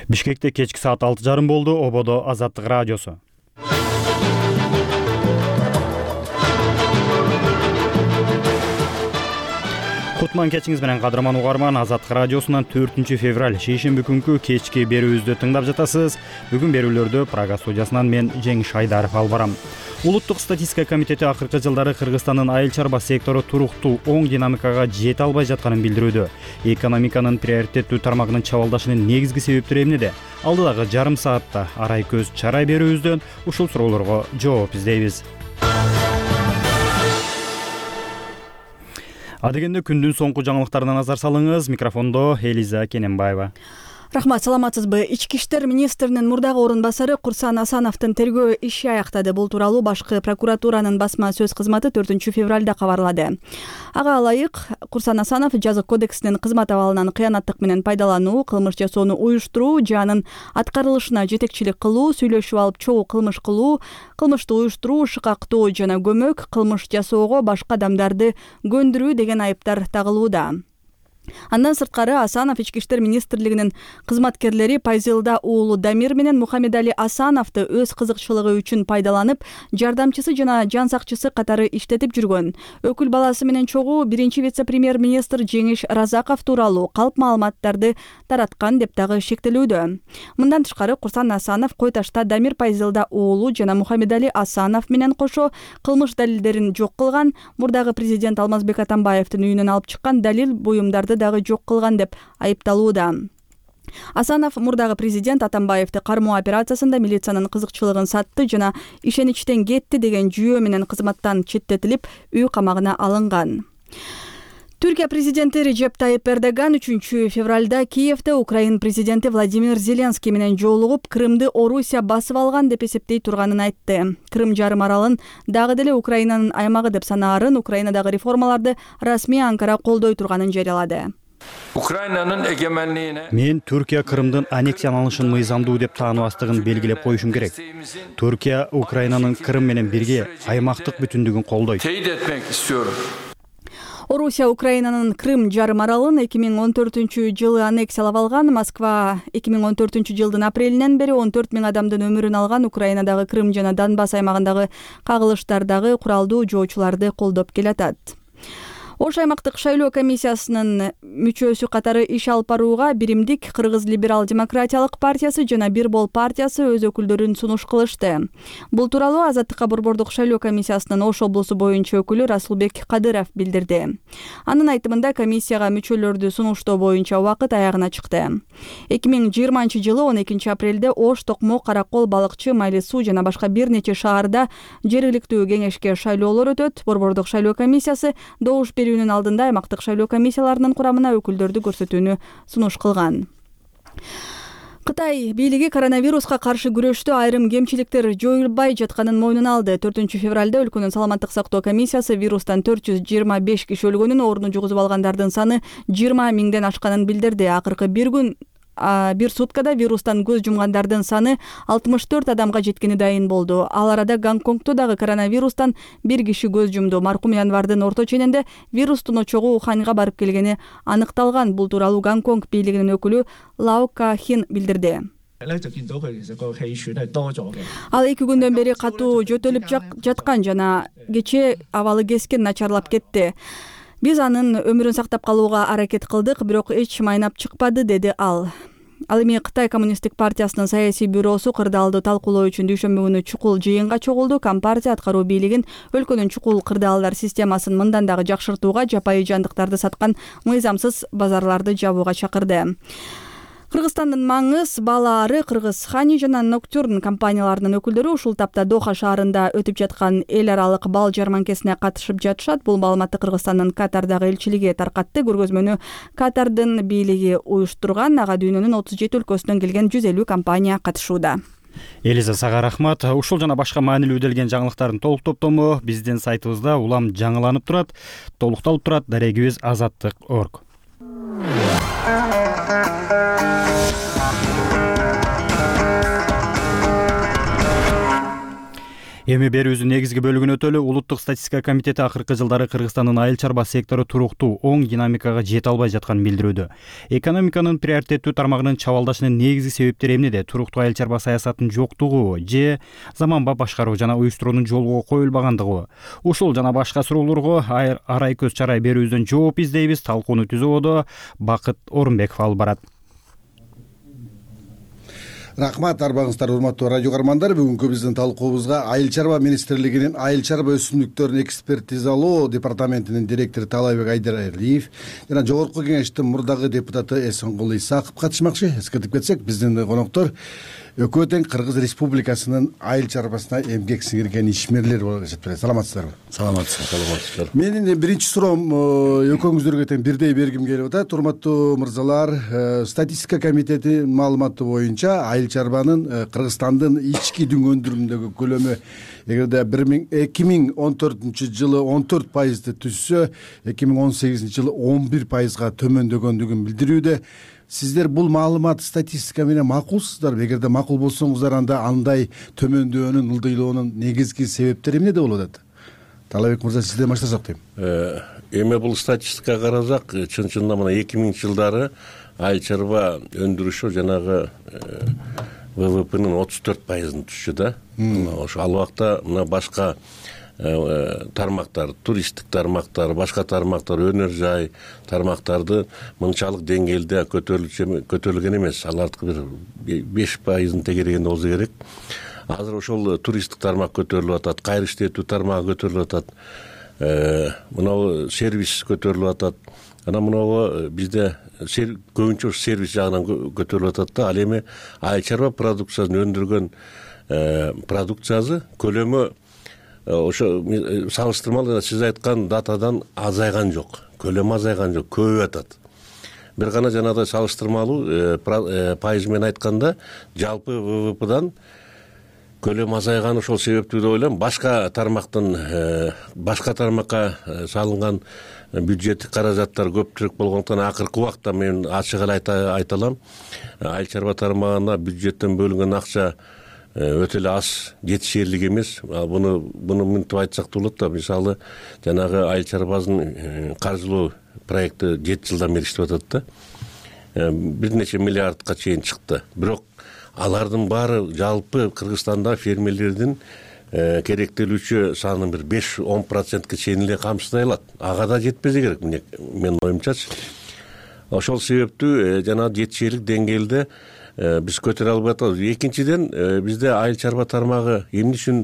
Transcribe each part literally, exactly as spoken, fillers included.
Бишкекте кечки саат алты жарым болду. Ободо Азаттык радиосу. Кутман кечиңиз менен кадырман угарман. Азаттык радиосунан төртүнчү февраль шейшемби күнкү кечки берүүбүздү тыңдап жатасыз. Бүгүн берүүлөрдү Прага студиясынан мен Жеңиш Айдаров алып барам. Улуттук статистика комитети акыркы жылдары Кыргызстандын айыл чарба сектору туруктуу оң динамикага жете албай жатканын билдирүүдө. Экономиканын приоритеттүү тармагынын чабалдашынын негизги себептери эмнеде? Алдыдагы жарым саатта арай көз чарай берүүбүздөн ушул суроолорго жооп издейбиз. Адегенде күндүн соңку жаңылыктарына назар салыңыз. Микрофондо Элиза Кененбаева. Рахмат, саламатсызбы? Ички иштер министринин мурдагы орун басары Курсан Асановдун тергөө иши аяктады. Бул тууралуу башкы прокуратуранын басма сөз кызматы төртүнчү февралда кабарлады. Ага ылайык Курсан Асанов жазык кодексинин кызмат абалынан кыянаттык менен пайдалануу, кылмыш жасоону уюштуруу, жанын аткарылышына жетекчилик кылуу, сүйлөшүп алып чогуу кылмыш кылуу, кылмышты уюштуруу, шыкактоо жана көмөк, кылмыш жасоого башка адамдарды көндүрүү деген айыптар тагылууда. Андан сырткары Асанов ички иштер министрлигинин кызматкерлери Пайзелда уулу Дамир менен Мухаммедали Асановду өз кызыкчылыгы үчүн пайдаланып, жардамчысы жана жан сакчысы катары иштетип жүргөн. Өкүл баласы менен чогуу биринчи вице-премьер-министр Жеңиш Разаков тууралуу калп маалыматтарды тараткан деп дагы шектелүүдө. Мындан тышкары Курсан Асанов Кой Ташта Дамир Пайзелда уулу жана Мухаммедали Асанов менен кошо кылмыш далилдерин жок кылган, мурдагы президент Алмазбек Атамбаевдин үйүнөн алып чыккан далил буюмдарды дагы жок кылган деп айыпталууда. Асанов мурдагы президент Атамбаевди кармоо операциясында милициянын кызыкчылыгын сатты жана ишеничтен кетти деген жүйөө менен кызматтан четтетилип, үй камагына алынган. Түркия президенти Режеп Тайип Эрдоган үчүнчү февралда Киевде Украин президенти Владимир Зеленский менен жолугуп, Крымды Орусия басып алган деп эсептей турганын айтты. Крым жарым аралын дагы деле Украинанын аймагы деп санаарын, Украинадагы реформаларды расмий Анкара колдой турганын жарыялады. Украинанын эгемендигине Мен Түркия Крымдын аннексияланышын мыйзамдуу деп тааныбастыгын белгилеп коюшум керек. Түркия Украинанын Крым менен бирге аймактык бүтүндүгүн колдойт. teyit etmek istiyorum. Орусия Украинанын Крым жарым аралын эки миң он төртүнчү жылы аннексиялап алган. Москва эки миң он төртүнчү жылдын апрелинен бери он төрт миң адамдын өмүрүн алган Украинадагы Крым жана Донбасс аймагындагы кагылыштардагы куралдуу жоочуларды колдоп келатат. Ош аймактык шайлоо комиссиясынын мүчөсү катары иш алып барууга Биримдик Кыргыз либерал-демократиялык партиясы жана Бир Бол партиясы өз өкүлдөрүн сунуш кылышты. Бул тууралуу Азаттыкка борбордук шайлоо комиссиясынын Ош облусу боюнча өкүлү Расулбек Кадыров билдирди. Анын айтымында комиссияга мүчөлөрдү сунуштоо боюнча убакыт аягына чыкты. эки миң жыйырманчы жылы он экинчи апрелде Ош, Токмо, Каракол, Балыкчы, Майлы Суу жана башка бир нече шаарда жергиликтүү кеңешке шайлоолор өтөт. Борбордук шайлоо комиссиясы добуш берүүнүн алдында аймактык шайлоо комиссияларынын курамына өкүлдөрдү көрсөтүүнү сунуш кылган. Кытай бийлиги коронавируска каршы күрөштө айрым кемчиликтер жоюлбай жатканын мойнуна алды. төртүнчү февралда өлкөнүн саламаттык сактоо комиссиясы вирустан төрт жүз жыйырма беш киши өлгөнүн, ооруну жугузуп алгандардын саны жыйырма миңден ашканын билдирди. Акыркы бир күн бир суткада вирустан көз жумгандардын саны алтымыш төрт адамга жеткени дайын болду. Ал арада Гонконгто дагы коронавирустан бир киши көз жумду. Маркум январдын орто ченинде вирустун очогу Уханьга барып келгени аныкталган. Бул тууралуу Гонконг бийлигинин өкүлү Лао Кахин билдирди. Ал эки күндөн бери катуу жөтөлүп жаткан жана кечээ абалы кескен начарлап кетти. Биз анын өмүрүн сактап калууга аракет кылдык, бирок эч майнап чыкпады, деди ал. Ал эми Кытай коммунисттик партиясынын саясий бюросу кырдаалды талкуулоо үчүн дүйшөмбү күнү чукул жыйынга чогулду. Компартия аткаруу бийлигин өлкөнүн чукул кырдаалдар системасын мындан дагы жакшыртууга, жапайы жандыктарды саткан мыйзамсыз базарларды жабууга чакырды. Кыргызстандын Маңыз, Балаары, Кыргыз Хани жана Ноктюрн компанияларынын өкүлдөрү ушул тапта Доха шаарында өтүп жаткан эл аралык бал жарманкесине катышып жатышат. Бул маалыматты Кыргызстандын Катардагы элчилиги таркатты. Көргөзмөнү Катардын бийлиги уюштурган. Ага дүйнөнүн отуз жети өлкөсүнөн келген жүз элүү компания катышууда. Элиза, сага рахмат. Ушул жана башка маанилүү делген жаңылыктардын толук топтому биздин сайтыбызда улам жаңыланып турат, толукталып турат. Дарегибиз азаттык точка орг. Эми берүүбүздүн негизги бөлүгүнө өтөлү. Улуттук статистика комитети акыркы жылдары Кыргызстандын айыл чарба сектору туруктуу, оң динамикага жете албай жатканын билдирүүдө. Экономиканын приоритеттүү тармагынын чабалдашынын негизги себептери эмнеде? Туруктуу айыл чарба саясатынын жоктугу же заманбап башкаруу жана уюштуруунун жолго коюлбагандыгы? Ушул жана башка суроолорго арай көз чарай берүүбүздөн жооп издейбиз. Талкууну түзүүдө Бакыт Орунбеков алып барат. Рахмат, арбаңыздар, урматтуу радио каармандар. Бүгүнкү биздин талкуубузга Айыл чарба министрлигинин айыл чарба өсүмдүктөрүн экспертизалоо департаментинин директору Таалайбек Айдаралиев жана жогорку кеңештин мурдагы депутаты Эсенгул Исаков катышмакчы. Эскертип кетсек, биздин коноктор Өкмөт тең Кыргыз Республикасынын айыл чарбасына эмгек сиңирген ишмерлер болуп эсептелет. Саламатсыздарбы? Саламатсыздар. Менин биринчи суроом экөөңүздөргө тең бирдей бергим келип атат. Урматтуу мырзалар, статистика комитети маалыматы боюнча айыл чарбанын Кыргызстандын ички дүң өндүрүмүндөгү көлөмү эгерде эки миң он төртүнчү жылы он төрт пайызды түзсө, эки миң он сегизинчи жылы он бир пайызга төмөндөгөндүгүн билдирүүдө. Сиздер бул маалымат статистика менен макулсуздарбы? Эгерде макул болсоңуздар, анда андай төмөндөөнүн, ылдыйлоонун негизги себептери эмнеде болуп атат? Таалайбек мырза, сизден баштасак дейм. Эми бул статистикага карасак, чын-чынында мына эки миңинчи жылдары айыл чарба өндүрүшү жанагы ВВПнын отуз төрт пайызын түшчү да. Ошо ал убакта мына башка тармактар, туристтик тармактар, башка тармактар, өнөр жай тармактарды мынчалык деңгээлде көтөрүлгөн эмес. Алардыкы бир беш пайызын тегерегенде болсо керек. Азыр ошол туристтик тармак көтөрүлүп атат, кайры иштетүү тармагы көтөрүлүп атат, мына сервис көтөрүлүп атат. Анан мына бизде көбүнчө сервис жагынан көтөрүлүп атат да. Ал эми айыл чарба продукциясын өндүргөн продукциясы көлөмү ошо салыштырмалуу сиз айткан датадан азайган жок, көлөмү азайган жок, көбөйүп атат. Бир гана жанагыдай салыштырмалуу пайыз менен айтканда жалпы ВВПдан көлөм азайган ошол себептүү деп ойлойм. Башка тармактын башка тармакка салынган бюджеттик каражаттар көпчүлүк болгондуктан акыркы убакта мен ачык эле айта алам, айыл чарба тармагына бюджеттен бөлүнгөн акча өтө эле аз, жетишерлик эмес. Буну буну мынтип айтсак да болот да. Мисалы, жанагы айыл чарбасын каржылоо проекти жети жылдан бери иштеп атат да. Бир нече миллиардка чейин чыкты. Бирок алардын баары жалпы Кыргызстанда фермерлердин керектелүүчү санын бир беш он процентке чейин эле камсыздай алат. Ага да жетпесе керек, менин оюмчачы. Ошол себептүү жанагы жетишерлик деңгээлде биз көтөрө албай атабыз. Экинчиден, бизде айыл чарба тармагы эмне үчүн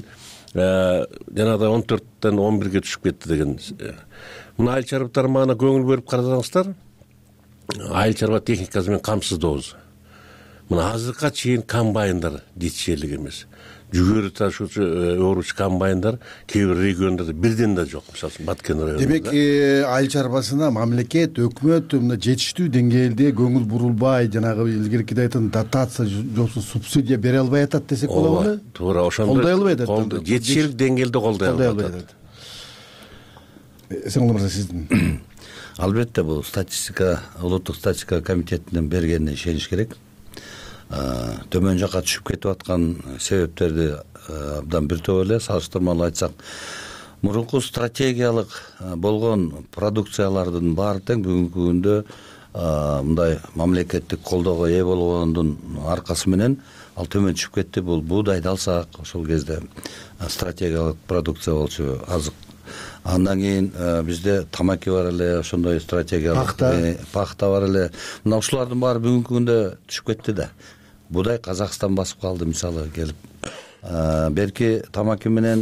жанагыдай он төрттөн он бирге түшүп кетти деген. Мына айыл чарба тармагына көңүл бөлүп карасаңыздар, айыл чарба техникасы менен камсыздообуз. Мына азыркыга чейин комбайндар жетишерлик эмес. Жүгөрү ташуучу өөрүчү комбайндар кээ бир региондордо бирден да жок. Мисалы, Баткен районунда. Демек, айыл чарбасына мамлекет, өкмөт мына жетиштүү деңгээлде көңүл бурулбай, жанагы илгеркиде айткан дотация жоксу субсидия бере албай атат десек болобу? Туура, ошондой колдой албай атат. Жетишерлик деңгээлде колдой албай атат. Эсенгул мырза, сиздин? Албетте, бул статистика, улуттук статистика комитетинин бергенине ишениш керек. Төмөн жакка түшүп кетип аткан себептерди абдан бир топ эле салыштырмалуу айтсак, мурунку стратегиялык болгон продукциялардын баары тең бүгүнкү күндө мындай мамлекеттик колдоого ээ болгондун аркасы менен ал төмөн түшүп кетти. Бул буудайды алсак, ошол кезде стратегиялык продукция болчу, азык. Андан кийин бизде тамаки бар эле, ошондой стратегиялык пахта бар эле. Мына ушулардын баары бүгүнкү күндө түшүп кетти да. Будай Казакстан басып калды, мисалы келип. Берки тамаки менен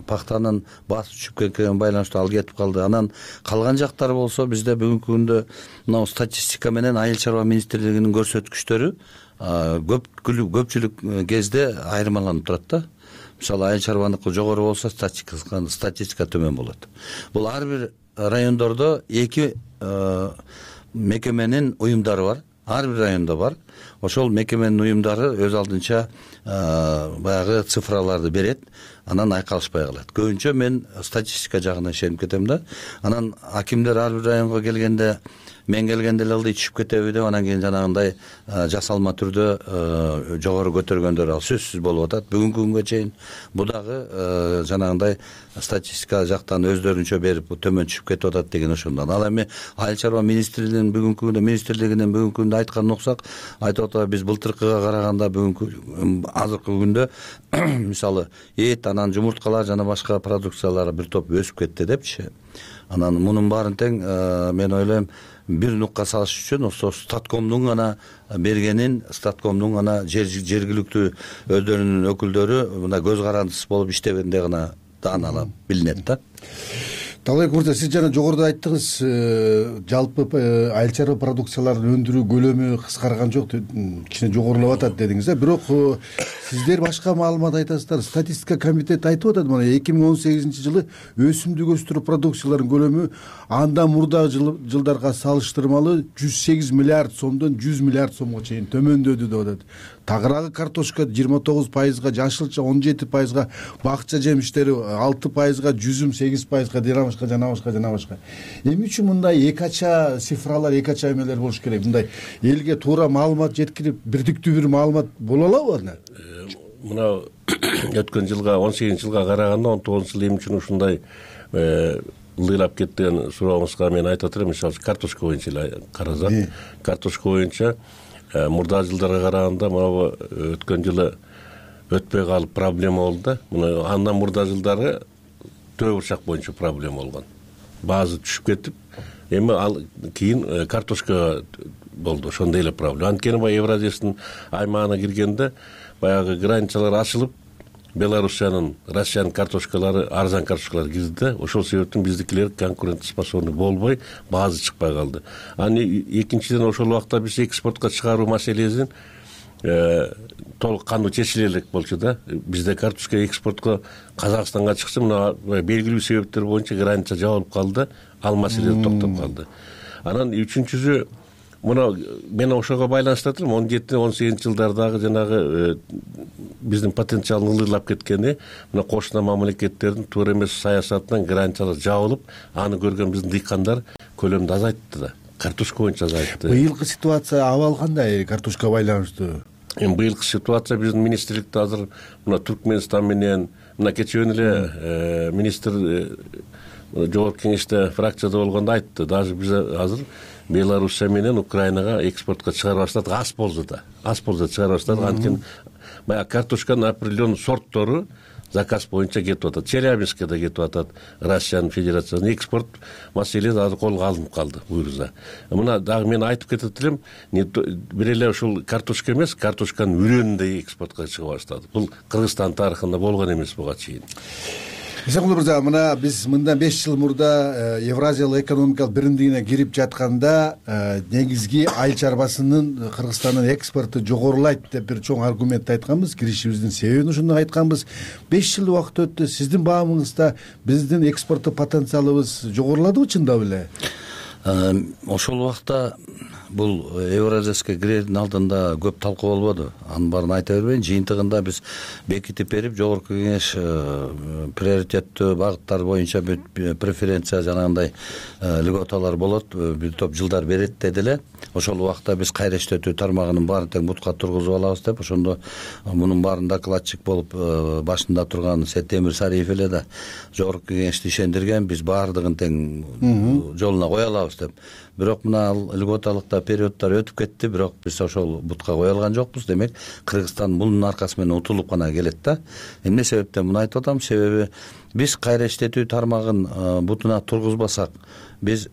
пахтанын басып түшүп кеткенине байланыштуу ал кетип калды. Анан калган жактары болсо бизде бүгүнкү күндө мына статистика менен айыл чарба министрлигинин көрсөткүчтөрү көпчүлүк кезде айырмаланып турат да. Мисалы, айыл чарбаныкы жогору болсо статистика төмөн болот. Бул ар бир райондордо эки мекеменин уюмдары бар. Ар бир райондо бар. Ошол мекеменин уюмдары өз алдынча баягы цифраларды берет. анан айкалышпай калат. Көбүнчө мен статистика жагына ишенип кетем да. Анан акимдер ар бир районго келгенде мен келгенде эле ылдый түшүп кетеби деп анан кийин жанагындай жасалма түрдө жогору көтөргөндөр ал сөзсүз болуп атат бүгүнкү күнгө чейин. Бу дагы жанагындай статистика жактан өздөрүнчө берип төмөн түшүп кетип атат деген ошондон. Ал эми айыл чарба министрлигинин бүгүнкү күндө министрлигинин бүгүнкү күндө айтканын уксак, айтып атат биз былтыркыга караганда бүгүнкү азыркы күндө мисалы эт, анан жумурткалар жана башка продукциялар бир топ өсүп кетти депчи. Анан мунун баарын тең мен ойлойм бир нукка салыш үчүн ошо Статкомдун гана бергенин, Статкомдун гана жергиликтүү өздөрүнүн өкүлдөрү мына көз карандысыз болуп иштегенде гана дааналап билинет да. Талайбек мырза, сиз жана жогоруда айттыңыз, жалпы айыл чарба продукцияларын өндүрүү көлөмү кыскарган жок, кичине жогорулап атат дедиңиз да. Бирок сиздер башка маалымат айтасыздар. Статистика комитети айтып атат, мына эки миң он сегизинчи жылы өсүмдүк өстүрүү продукцияларынын көлөмү андан мурдагы жылдарга салыштырмалуу жүз сегиз миллиард сомдон жүз миллиард сомго чейин төмөндөдү деп атат. Тагыраагы картошка жыйырма тогуз пайызга, жашылча он жети пайызга, бакча жемиштери алты пайызга, жүзүм сегиз пайызга, жана башка жана башка жана башка. Эмне үчүн мындай эки ача цифралар, эки ача эмелер болуш керек? Мындай элге туура маалымат жеткирип, бирдиктүү бир маалымат боло алабы анда? Мына өткөн жылга, он сегизинчи жылга караганда он тогузунчу жыл эмне үчүн ушундай ылдыйлап кетти деген сурооңузга мен айтып атырмын. Мисалы картошка боюнча эле карасак, картошка боюнча мурдагы жылдарга караганда мына өткөн жылы өтпөй калып проблема болду да. Мына андан мурдагы жылдары төө бурчак боюнча проблема болгон. Баазы түшүп кетип, эми ал кийин картошка болду. Ошондой эле проблема. Анткени баягы Евразиянын аймагына киргенде баягы границалар ачылып, Белоруссиянын, Россиянын картошкалары, арзан картошкалар кирди да. Ошол себептен биздикилер конкурентоспособный болбой, баазы чыкпай калды. Анан экинчиден ошол убакта биз экспортко чыгаруу маселесин толук кандуу чечиле элек болчу да. Бизде картошка экспортко Казакстанга чыкса, мына белгилүү себептер боюнча граница жабылып калды, ал маселе токтоп калды. Анан үчүнчүсү мына мен ошого байланыштырып атырмын. он жети он сегизинчи жылдардагы жанагы биздин потенциалдын ылдыйлап кеткени, мына кошуна мамлекеттердин туура эмес саясатынан границалар жабылып, аны көргөн биздин дыйкандар көлөмдү азайтты да. Картошка боюнча азайтты. Быйылкы ситуация абал кандай картошка байланыштуу? Эми быйылкы ситуация биздин министрликте азыр мына Түркмөнстан менен, мына кечээ эле министр жогорку кеңеште фракцияда болгондо айтты. Даже биз азыр Белоруссия менен Украинага экспортко чыгарып баштадык, аз болжуда. Аз болжуда чыгарып баштадык. Анткени баягы картошканын определенный сорттору заказ боюнча кетип атат. Челябинскке да кетип атат, Россиянын Федерациясына экспорт маселеси азыр колго алынып калды буюрса. Мына дагы мен айтып кетет элем, бир эле ушул картошка эмес, картошканын үрөнү да экспортко чыга баштады. Бул Кыргызстан тарыхында болгон эмес буга чейин. Исакулов мырза, мына биз мындан беш жыл мурда Евразиялык экономикалык биримдигине кирип жатканда негизги айыл чарбасынын Кыргызстандын экспорту жогорулайт деп бир чоң аргумент айтканбыз. Киришибиздин себебин ошондой айтканбыз. беш жыл убакыт өттү. Сиздин баамыңызда биздин экспорттук потенциалыбыз жогоруладыбы чындап эле? Ошол убакта бул Евразияга кирердин алдында көп талкуу болбоду. Анын баарын айта бербейин. Жыйынтыгында биз бекитип берип, жогорку кеңеш приоритеттүү багыттар боюнча преференция жанагындай льготалар болот, бир топ жылдар берет деди эле. Ошол убакта биз кайра иштетүү тармагынын баарын тең бутка тургузуп алабыз деп, ошондо мунун баарын докладчик болуп башында турган Сетемир Сариев эле да жогорку кеңешти ишендирген, биз баардыгын тең жолуна кое алабыз деп. Бирок мына ал льготалыкта периоддор өтүп кетти, бирок биз ошол бутка кое алган жокпуз. Демек, Кыргызстан мунун аркасы менен утулуп гана келет да. Эмне себептен муну айтып атам? Себеби биз кайра иштетүү тармагын бутуна тургузбасак, биз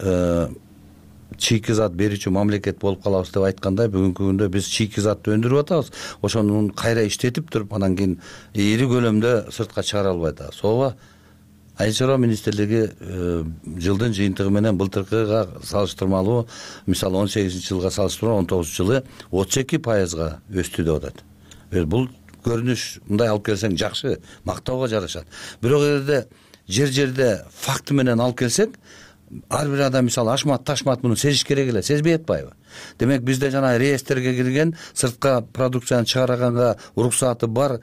чийки зат берүүчү мамлекет болуп калабыз деп айткандай, бүгүнкү күндө биз чийки затты өндүрүп атабыз. Ошону кайра иштетип туруп, анан кийин ири көлөмдө сыртка чыгара албай атабыз. Ооба, Айыл чарба министрлиги жылдын жыйынтыгы менен былтыркыга салыштырмалуу, мисалы он сегизинчи жылга салыштырмалуу он тогузунчу жылы отуз эки пайызга өстү деп атат. Бул көрүнүш мындай алып келсең жакшы, мактоого жарашат. Бирок эгерде жер-жерде факты менен алып келсек, ар бир адам мисалы ашмат, ташмат муну сезиш керек эле, сезбей атпайбы? Демек бизде жана реестрге кирген сыртка продукцияны чыгарганга уруксаты бар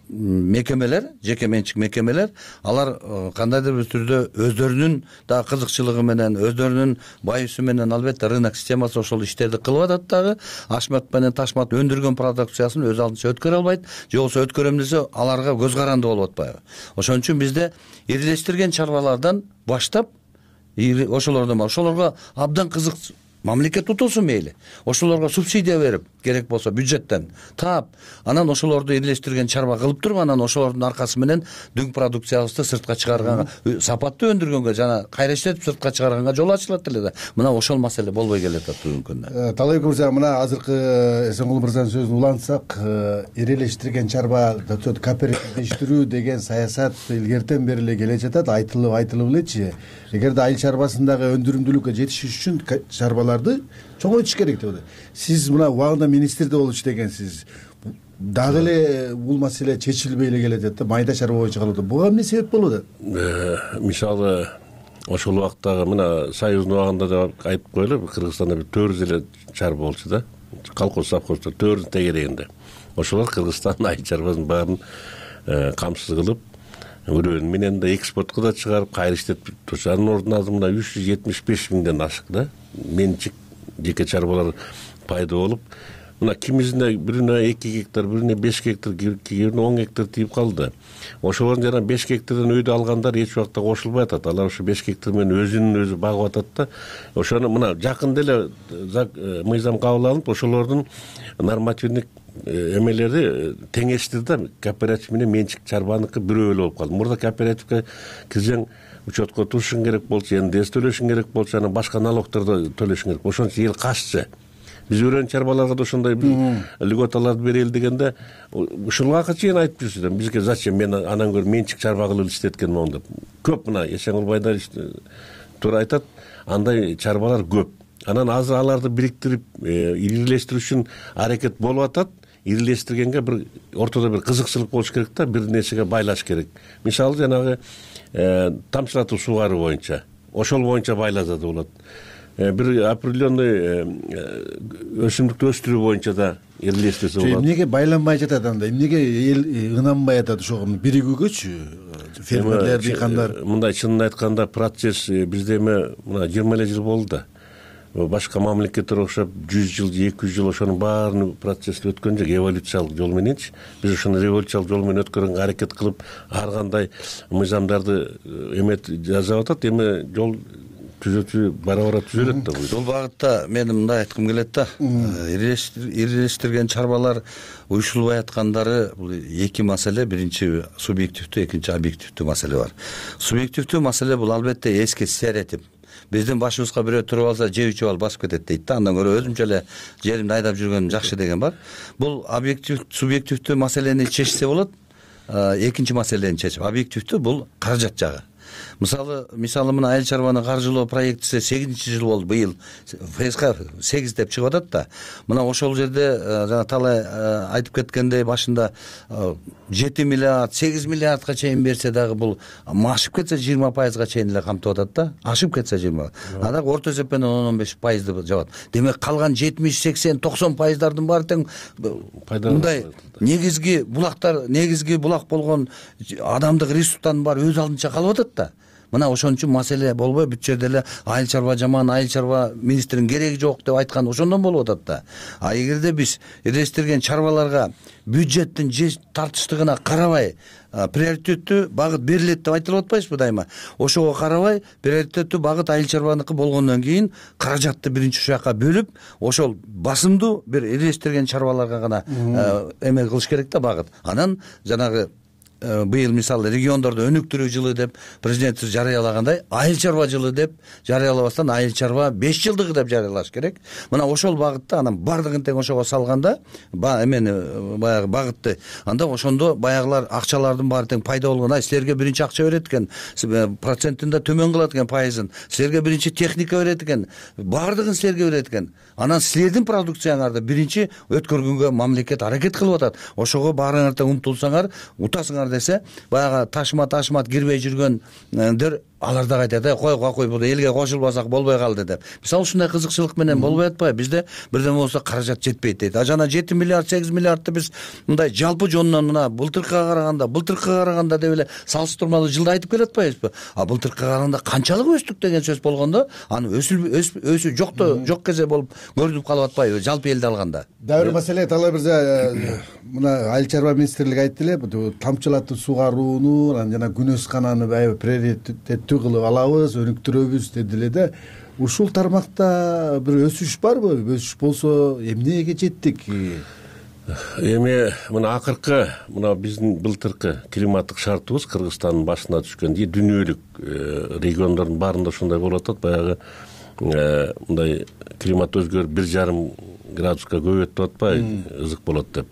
мекемелер, жеке менчик мекемелер, алар кандайдыр бир түрдө өздөрүнүн дагы кызыкчылыгы менен, өздөрүнүн байысу менен албетте рынок системасы ошол иштерди кылып атат дагы. Ашмат менен ташмат өндүргөн продукциясын өз алдынча өткөрө албайт, же болбосо өткөрөм десе аларга көз каранды болуп атпайбы. Ошон үчүн бизде ирилештирген чарбалардан баштап ошолордон ошолорго абдан кызык мамлекет утулсун мейли. Ошолорго субсидия берип, керек болсо бюджеттен таап, анан ошолорду ирилештирген чарба кылып туруп, анан ошолордун аркасы менен дүң продукциябызды сыртка чыгарганга, сапаттуу өндүргөнгө жана кайра иштетип сыртка чыгарганга жол ачылат эле да. Мына ошол маселе болбой келатат бүгүнкү күндө. Талайбек мырза, мына азыркы Эсенгул мырзанын сөзүн улантсак, ирилештирген чарба кооперативдештирүү деген саясат илгертен бери эле келе жатат, айтылып айтылып элечи. Эгерде айыл чарбасындагы өндүрүмдүүлүккө жетишиш үчүн чарбаларды чоңойтуш керек деп атат. Сиз мына убагында министрде болчу дегенсиз. Дагы эле бул маселе чечилбей эле келатат да, майда чарба боюнча калып атат. Буга эмне себеп болуп атат? Мисалы ошол убактагы мына Союздун убагында да айтып коелу, Кыргызстанда бир төрт жүз эле чарба болчу да. Колхоз совхозда төрт тегерегинде. Ошолор Кыргызстандын айыл чарбасынын баарын камсыз кылып, өрөөнү менен да экспортко да чыгарып, кайра иштетип турчу. Анын ордуна азыр мына үч жүз жетимиш беш миңден ашык да менчик жеке чарбалар пайда болуп, мына кимисинде бирине эки гектар, бирине беш гектар, кийине он гектар тийип калды. Ошолордун жана беш гектардан өйдө алгандар эч убакта кошулбай атат. Алар ошо беш гектар менен өзүнүн өзү багып атат да. Ошону мына жакында эле мыйзам кабыл алынып, ошолордун нормативдик эмелери теңештир да, кооператив менен менчик чарбаныкы бирөө эле болуп калды. Мурда кооперативге кирсең учетко турушуң керек болчу, эн дэ эс төлөшүң керек болчу, анан башка налогдорду төлөшүң керек. Ошон үчүн эл каччы. Биз өрөөн чарбаларга да ошондой льготаларды берели дегенде, ушул убакка чейин айтып жүрсү да, бизге зачем мен анан көрө менчик чарба кылып иштеткен могу деп. Көп мына Эсенгул байдар туура айтат, андай чарбалар көп. Анан азыр аларды бириктирип, ирилештирүү үчүн аракет болуп атат. Ирилештиргенге бир ортодо бир кызыкчылык болуш керек да, бир нерсеге байлаш керек. Мисалы жанагы тамчылатуу суугаруу боюнча, ошол боюнча байласа да болот. Бир определенный өсүмдүктү өстүрүү боюнча да ирилештирсе болот. Эмнеге байланбай жатат анда? Эмнеге эл ынанбай атат ошого биригүүгөчү? Фермерлер, дыйкандар. Мындай чынын айтканда процесс бизде эме мына жыйырма эле жыл болду да. Башка мамлекеттер окшоп жүз жыл, эки жүз жыл ошонун баарын процессти өткөн жок, эволюциялык жол мененчи. Биз ошону революциялык жол менен өткөргөнгө аракет кылып, ар кандай мыйзамдарды эмет жасап атат, эми жол түзөтүү бара-бара түзөлөт да. Бул багытта мен мындай айткым келет да. Ирилештирген чарбалар уюшулбай аткандары бул эки маселе, биринчи субъективдүү, экинчи объективдүү маселе бар. Субъективдүү маселе бул албетте эски стереотип. Биздин башыбызга бирөө туруп алса, же үч бал басып кетет дейт да. Андан көрө өзүмчө эле жеримди айдап жүргөнүм жакшы деген бар. Бул объектив, субъективдүү маселени чечсе болот. Экинчи маселени чечип, объективдүү бул каражат жагы. Мисалы, мисалы мына айыл чарбаны каржылоо проектиси сегизинчи жыл болду быйыл. ФСК сегиз деп чыгып атат да. Мына ошол жерде жана талай айтып кеткендей башында жети миллиард, сегиз миллиардга чейин берсе дагы бул ашып кетсе жыйырма пайызга чейин эле камтып атат да. Ашып кетсе жыйырма. Анда орто эсеппен он он беш пайызды жабат. Демек калган жетимиш, сексен, токсон пайыздардын баары тең мындай негизги булактар, негизги булак болгон адамдык ресурстардын баары өз алдынча калып атат да. Мына ошон үчүн маселе болбой, бүт жерде эле айыл чарба жаман, айыл чарба министринин кереги жок деп айткан ошондон болуп атат да. А эгерде биз ирилештирген чарбаларга бюджеттин же тартыштыгына карабай, приоритеттүү багыт берилет деп айтылып атпайбызбы дайыма? Ошого карабай, приоритеттүү багыт айыл чарбаныкы болгондон кийин каражатты биринчи ушул жака бөлүп, ошол басымдуу бир ирилештирген чарбаларга гана эме кылыш керек да багыт. Анан жанагы быйыл мисалы региондордо өнүктүрүү жылы деп президент жарыялагандай, айыл чарба жылы деп жарыялабастан айыл чарба беш жылдыгы деп жарыялаш керек. Мына ошол багытта анан бардыгын тең ошого салганда, эмени баягы багытты, анда ошондо баягылар акчалардын баары тең пайда болгон. Ай силерге биринчи акча берет экен, процентин да төмөн кылат экен пайызын. Силерге биринчи техника берет экен, бардыгын силерге берет экен. Анан силердин продукцияңарды биринчи өткөргөнгө мамлекет аракет кылып атат. Ошого баарыңар тең умтулсаңар, утасыңар десе, баягы ташма ташмат кирбей жүргөндөр алар да айтат, кой кой бул элге кошулбасак болбой калды деп. Мисалы ушундай кызыкчылык менен болбой атпайбы? Бизде бирдеме болсо каражат жетпейт дейт. А жана жети миллиард сегиз миллиардты биз мындай жалпы жонунан мына былтыркыга караганда, былтыркыга караганда деп эле салыштырмалуу жылда айтып келатпайбызбы? А былтыркыга караганда канчалык өстүк деген сөз болгондо, аны өсүл өсү жокто жок кезе болуп көрүнүп калып атпайбы жалпы элди алганда? Дагы бир маселе, Талай мырза, мына Айыл чарба министрлиги айтты эле, тамчылатып сугарууну, анан жана күнөскананы аябай приоритеттүү кылып алабыз, өнүктүрөбүз деди эле да. Ушул тармакта бир өсүш барбы? Өсүш болсо эмнеге жеттик? Эми мына акыркы мына биздин былтыркы климаттык шартыбыз Кыргызстандын башына түшкөн, дүйнөлүк региондордун баарында ушундай болуп атат. Баягы мындай климат өзгөрүп бир жарым градуска көбөйөт деп атпайбы, ызык болот деп.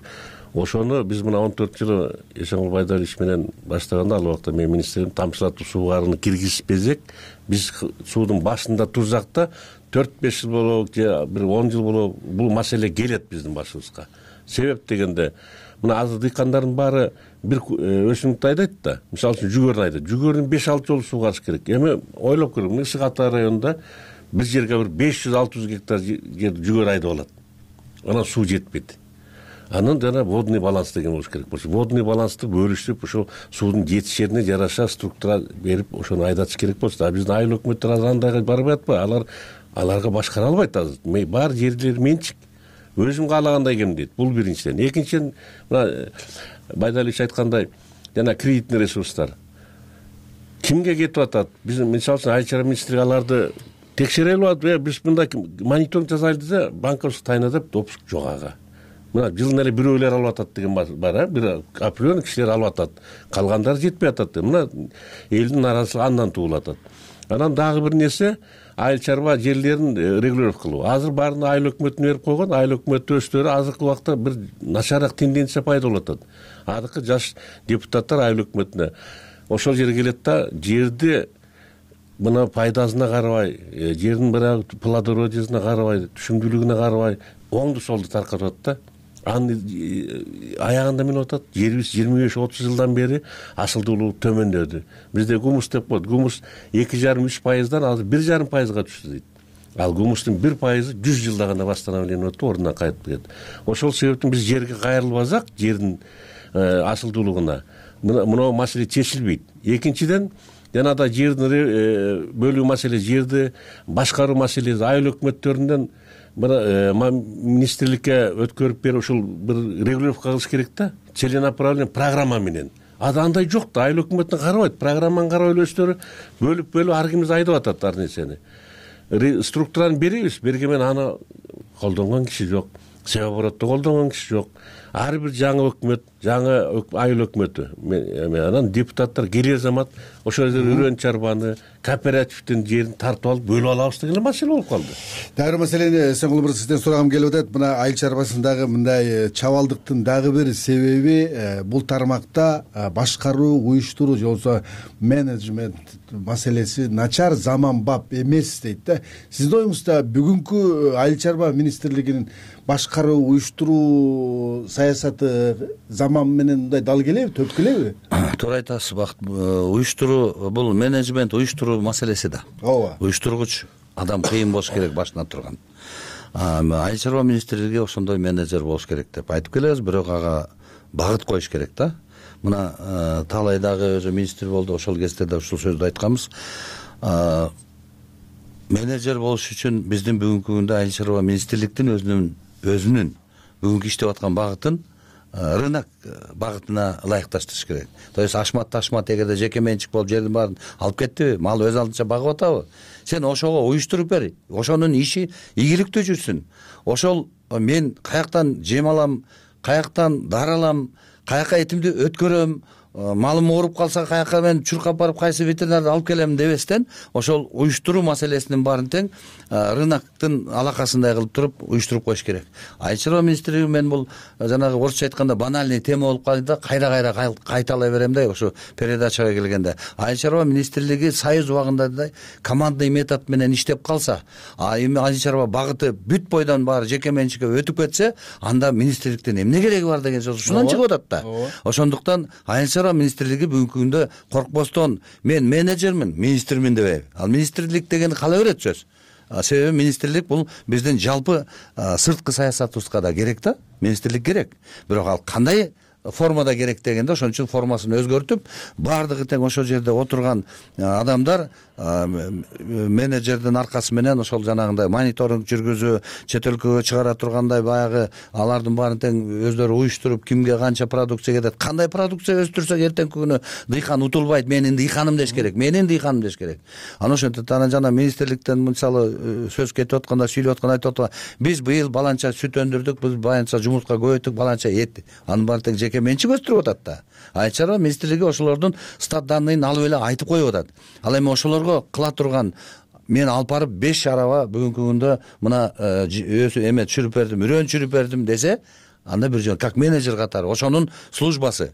Ошону биз мына он төрт жылы Эшенгул Байдалович менен баштаганда, ал убакта мен министрим, тамчылатып суугарууну киргизбесек, биз суудун башында турсак да төрт беш жыл болобу же бир он жыл болобу бул маселе келет биздин башыбызга. Себеп дегенде, мына азыр дыйкандардын баары бир өсүмдүктү айдайт да, мисалы үчүн жүгөрүн айдайт. Жүгөрүн беш алты жолу суугарыш керек. Эми ойлоп көрүң, Ысык Ата районунда бир жерге бир беш жүз алты жүз гектар жерди жүгөрү айдап алат. Анан суу жетпейт. Анан жана водный баланс деген болуш керек болчу. Водный балансты бөлүшүп, ошол суудун жетишерине жараша структура берип, ошону айдатыш керек болчу. А биздин айыл өкмөттөр азыр андайга барбай атпайбы? Алар аларга башкара албайт азыр. Баары жерлер менчик. Өзүм каалагандай кем дейт. Бул биринчиден. Экинчиден, мына Байдалович айткандай, жана кредитный ресурстар кимге кетип атат? Биз мисалы үчүн Айыл чарба министрлиги аларды текшере албады. Биз мындай мониторинг жасайлы десе, банковский тайна деп допуск жок ага. Мына жылына эле бирөөлөр алып атат деген бар, а бир определенный кишилер алып атат. Калгандары жетпей атат. Мына элдин наразычылыгы андан туулуп атат. Анан дагы бир нерсе, айыл чарба жерлерин регулировка кылуу. Азыр баарын айыл өкмөтүнө берип койгон. Айыл өкмөтү өздөрү азыркы убакта бир начараак тенденция пайда болуп атат. Азыркы жаш депутаттар айыл өкмөтүнө ошол жерге келет да, жерди мына пайдасына карабай, жердин бирок плодородиесине карабай, түшүмдүүлүгүнө карабай, оңду солду таркатып атат да. Аны аягында эмне болуп атат? Жерибиз жыйырма беш отуз жылдан бери асылдуулугу төмөндөдү. Бизде гумус деп коет. Гумус эки жарым үч пайыздан азыр бир жарым пайызга түштү дейт. Ал гумустун бир пайызы жүз жылда гана восстановление өтүп, ордуна кайтып кетет. Ошол себептен биз жерге кайрылбасак, жердин асылдуулугуна мына маселе чечилбейт. Экинчиден, жана да жердин бөлүү маселе, жерди башкаруу маселеси айыл өкмөттөрүнөн министрликке өткөрүп берип ушул бир регулировка кылыш керек да, целенаправленный программа менен. Андай жок да, айыл өкмөтүн карабайт, программаны карабай эле өздөрү бөлүп бөлүп ар кимибиз айдап атат ар нерсени. Структураны беребиз, берген менен аны колдонгон киши жок, себеп боротто колдонгон киши жок. Ар бир жаңы өкмөт, жаңы айыл өкмөтү, анан депутаттар келер замат ошол жерде үрөн чарбаны, кооперативдин жерин тартып алып бөлүп алабыз деген маселе болуп калды. Дагы маселени Эсенгул мырза сизден сурагым келип атат. Мына айыл чарбасындагы мындай чабалдыктын дагы бир себеби бул тармакта башкаруу, уюштуруу же болбосо менеджмент маселеси начар, заманбап эмес дейт да. Сиздин оюңузда бүгүнкү айыл чарба министрлигинин башкаруу, уюштуруу саясаты заман менен мындай дал келеби, төп келеби? Туура айтасыз, Бакыт. Уюштуруу бул менеджмент, уюштуруу маселеси да. Ооба. Уюштургуч адам кыйын болуш керек башына турган. Айыл чарба министрлиги ошондой менеджер болуш керек деп айтып келебиз, бирок ага багыт коюш керек да. Мына Талай дагы өзү министр болду, ошол кезде да ушул сөздү айтканбыз. Менеджер болуш үчүн биздин бүгүнкү күндө айыл чарба министрликтин өзүнүн өзүнүн бүгүнкү иштеп аткан багытын рынок багытына ылайыкташтырыш керек. То есть ашмат ташмат эгерде жеке менчик болуп жердин баарын алып кеттиби, мал өз алдынча багып атабы? Сен ошого уюштуруп бер. Ошонун иши ийгиликтүү жүрсүн. Ошол мен каяктан жем алам, каяктан дар алам, каяка этимди өткөрөм, малым ооруп калса каяка мен чуркап барып кайсы ветеринарды алып келем дебестен, ошол уюштуруу маселесинин баарын тең рыноктун алакасындай кылып туруп уюштуруп коюш керек. Айыл чарба министрлиги мен бул жанагы орусча айтканда банальный тема болуп калды, кайра-кайра кайталай берем да, ошо передачага келгенде. Айыл чарба министрлиги союз убагындай командный метод менен иштеп калса, а эми айыл чарба багыты бүт бойдон баары жеке менчикке өтүп кетсе, анда министрликтин эмне кереги бар деген сөз ушунан чыгып атат да. Ошондуктан айыл чарба министрлиги бүгүнкү күндө коркпостон мен менеджермин, министрмин дебейм. Ал министрлик дегенди кала берет сөз. Себеби министрлик бул биздин жалпы сырткы саясатыбызга да керек да. Министрлик керек. Бирок ал кандай формада керек дегенде ошон үчүн формасын өзгөртүп, баардыгы тең ошол жерде отурган адамдар менеджердин аркасы менен ошол жанагындай мониторинг жүргүзүү, чет өлкөгө чыгара тургандай баягы алардын баарын тең өздөрү уюштуруп, кимге канча продукция кетет, кандай продукция өстүрсөк эртеңки күнү дыйкан утулбайт, менин дыйканым деш керек, менин дыйканым деш керек. Анан ошентип анан жана министрликтен мисалы сөз кетип атканда, сүйлөп атканда айтып атат, биз быйыл баланча сүт өндүрдүк, биз баланча жумуртка көбөйттүк, баланча эт. Анын баары тең жеке менчик өстүрүп атат да. Айыл чарба министрлиги ошолордун стат данныйын алып эле айтып коюп атат. Ал эми ошолорго кыла турган мен алып барып беш араба бүгүнкү күндө мына өзү эме түшүрүп бердим, үрөн түшүрүп бердим десе, анда бир жөн как менеджер катары ошонун службасы.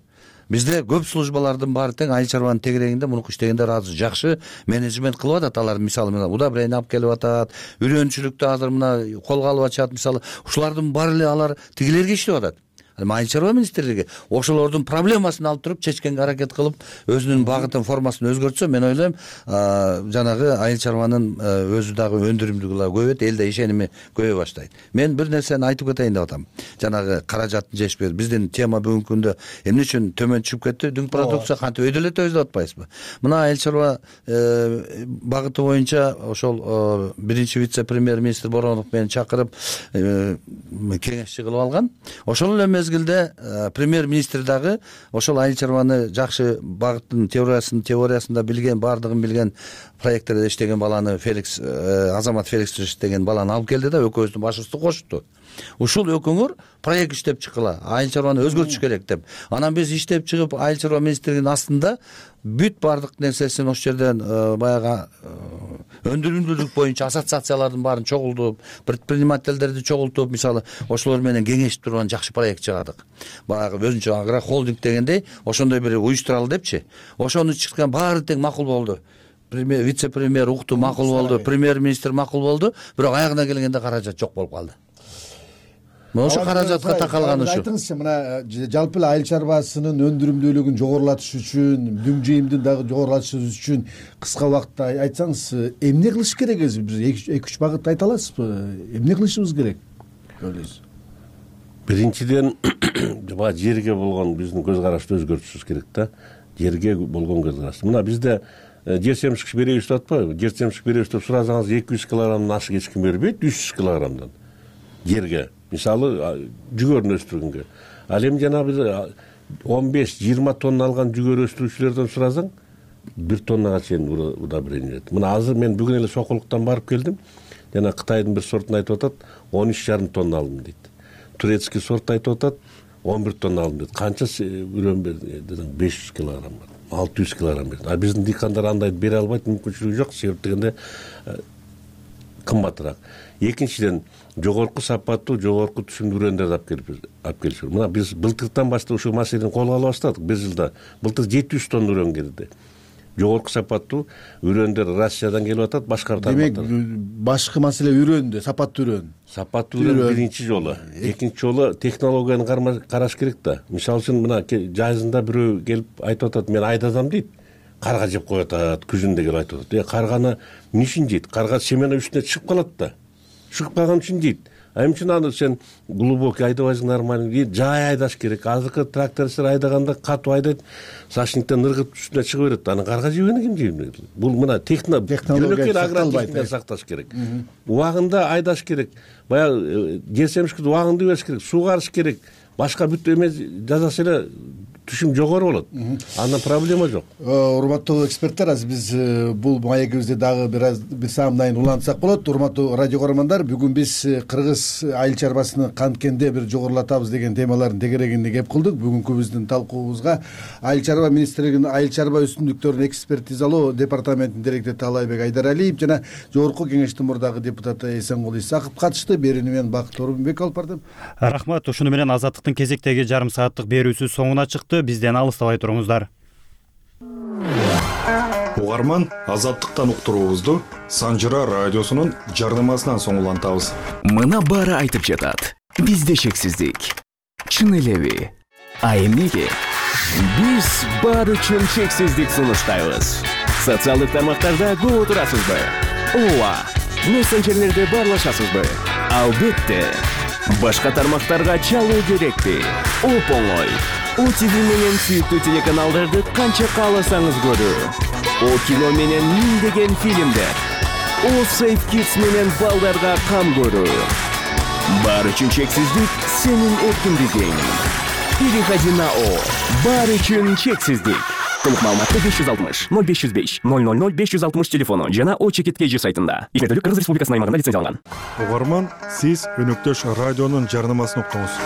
Бизде көп службалардын баары тең айыл чарбанын тегерегинде мунуку иштегендер азыр жакшы менеджмент кылып атат. Алар мисалы мына удобрение алып келип атат, үрөнчүлүктү азыр мына колго алып атышат. Мисалы ушулардын баары эле алар тигилерге иштеп атат. Айыл чарба министрлиги ошолордун проблемасын алып туруп чечкенге аракет кылып, өзүнүн багытын, формасын өзгөртсө, мен ойлойм, жанагы айыл чарбанын өзү дагы өндүрүмдүүлүгү көбөйөт, элде ишеними көбөй баштайт. Мен бир нерсени айтып кетейин деп атам. Жанагы каражаттын жетишпеги, биздин тема бүгүнкү күндө эмне үчүн төмөн түшүп кетти? Дүң продукция кантип өйдөлөтөбүз деп атпайсызбы? Мына айыл чарба багыты боюнча ошол биринчи вице-премьер-министр Боронов мени чакырып кеңешчи кылып алган. Ошол эле мезгилде премьер-министр дагы ошол айыл чарбаны жакшы багыттын теориясын теориясында билген, баардыгын билген, проекттерде иштеген баланы Феликс Азамат Феликсович деген баланы алып келди да экөөбүздүн башыбызды кошту. Ушул экөөңөр проект иштеп чыккыла, айыл чарбаны өзгөртүш керек деп. Анан биз иштеп чыгып айыл чарба министрлигинин астында бүт баардык нерсесин ошол жерден баягы өндүрүмдүүлүк боюнча ассоциациялардын баарын чогултуп, предпринимательдерди чогултуп, мисалы ошолор менен кеңешип турган жакшы проект чыгардык. Баягы өзүнчө агрохолдинг дегендей ошондой бир уюштуралы депчи. Ошону чыккан баары тең макул болду. Премьер, вице-премьер укту, макул болду, премьер-министр макул болду, бирок аягына келгенде каражат жок болуп калды. Ошо каражатка такалган ушу. Айтыңызчы, мына жалпы эле айыл чарбасынын өндүрүмдүүлүгүн жогорулатыш үчүн, дүң жыйымдын дагы жогорулатыш үчүн кыска убакытта айтсаңыз, эмне кылыш керек өзү? Биз эки үч багыт айта аласызбы? Эмне кылышыбыз керек? Ойлойсуз? Биринчиден, баа жерге болгон биздин көз карашты өзгөртүшүбүз керек да. Жерге болгон көз караш. Мына бизде жер семшик беребиз деп атпайбы? Жер семшик беребиз деп суразаңыз эки жүз килограммдан ашык эч ким бербейт, үч жүз килограммдан жерге. Мисалы жүгөрүн өстүргөнгө. Ал эми жанагы он беш жыйырма тонна алган жүгөр өстүрүүчүлөрдөн суразаң, бир тоннага чейин удобрение берет. Мына азыр мен бүгүн эле Сокулуктан барып келдим. Жана Кытайдын бир сортун айтып атат, он үч жарым тонна алдым дейт. Турецкий сорт айтып атат, он бир тонна алдым дейт. Канча үрөн берди десең, беш жүз килограмм бар. алты жүз килограмм берди. А биздин дыйкандар андай бере албайт, мүмкүнчүлүгү жок. Себеп дегенде кымбатыраак. Экинчиден, жогорку сапаттуу, жогорку түшүмдүү үрөндөрдү алып келип алып келиши керек. Мына биз былтыртан баштап ушул маселени колго ала баштадык. Бир жылда былтыр жети жүз тонна үрөн келди. Жогорку сапаттуу үрөндөр Россиядан келип атат, башка тармактар. Демек, башкы маселе үрөндө, сапаттуу үрөн. Сапаттуу үрөн биринчи жолу. Экинчи жолу технологияны караш керек да. Мисалы үчүн мына жазында бирөө келип айтып атат, мен айдадам дейт. Карга жеп коюп атат, күзүндө келип айтып атат. Э, карганы эмне үчүн жейт? Карга семена үстүнө чыгып калат да. Чыгып калган үчүн жейт. А эмне үчүн аны сен глубокий айдабайсың, нормальный, жай айдаш керек. Азыркы тракторчулар айдаганда катуу айдайт, сашниктен ыргып үстүнө чыга берет. Аны карга жебени ким жейт? Бул мына технология агротехника сакташ керек. Убагында айдаш керек. Баягы жер семшикти убагында бериш керек, сугарыш керек. Башка бүт эме жасаса эле түшүм жогору болот. Андан проблема жок. Урматтуу эксперттер, азыр биз бул маегибизди дагы бир аз бир саамдайын улантсак болот. Урматтуу радио көрөрмандар, бүгүн биз кыргыз айыл чарбасын канткенде бир жогорулатабыз деген темалардын тегерегинде кеп кылдык. Бүгүнкү биздин талкуубузга айыл чарба министрлигинин айыл чарба өсүмдүктөрүн экспертизалоо департаментинин директору Таалайбек Айдаралиев жана жогорку кеңештин мурдагы депутаты Эсенгул Исаков катышты. Берүүнү мен Бакыт Орунбек алып бардым. Рахмат. Ушуну менен Азаттыктын кезектеги жарым сааттык берүүсү соңуна чыкты. Бизден алыстабай туруңуздар. Угарман, Азаттыктан уктуруубузду Санжыра радиосунун жарнамасынан соң улантабыз. Мына баары айтып жатат. Бизде шексиздик. Чын элеби? А эмнеге? Биз баары үчүн чексиздик сунуштайбыз. Социалдык тармактарда көп отурасызбы? Ооба. Мессенджерлерде баарлашасызбы? Албетте. Башка тармактарга чалуу керекпи? Оп-оңой. О ти ви менен сүйүктүү телеканалдарды канча кааласаңыз көрүү. О кино менен миңдеген фильмдер. О Safe Kids менен балдарга кам көрүү. Баары үчүн чексиздик сенин эркиндигиң. Переходи на О. Баары үчүн чексиздик. Толук маалыматты беш жүз алтымыш ноль беш жүз беш ноль ноль ноль беш жүз алтымыш телефону жана О чекит кей жи сайтында. Ишмердүүлүк Кыргыз Республикасынын аймагында лицензияланган. Угарман, сиз өнөктөш радионун жарнамасын уктуңуз.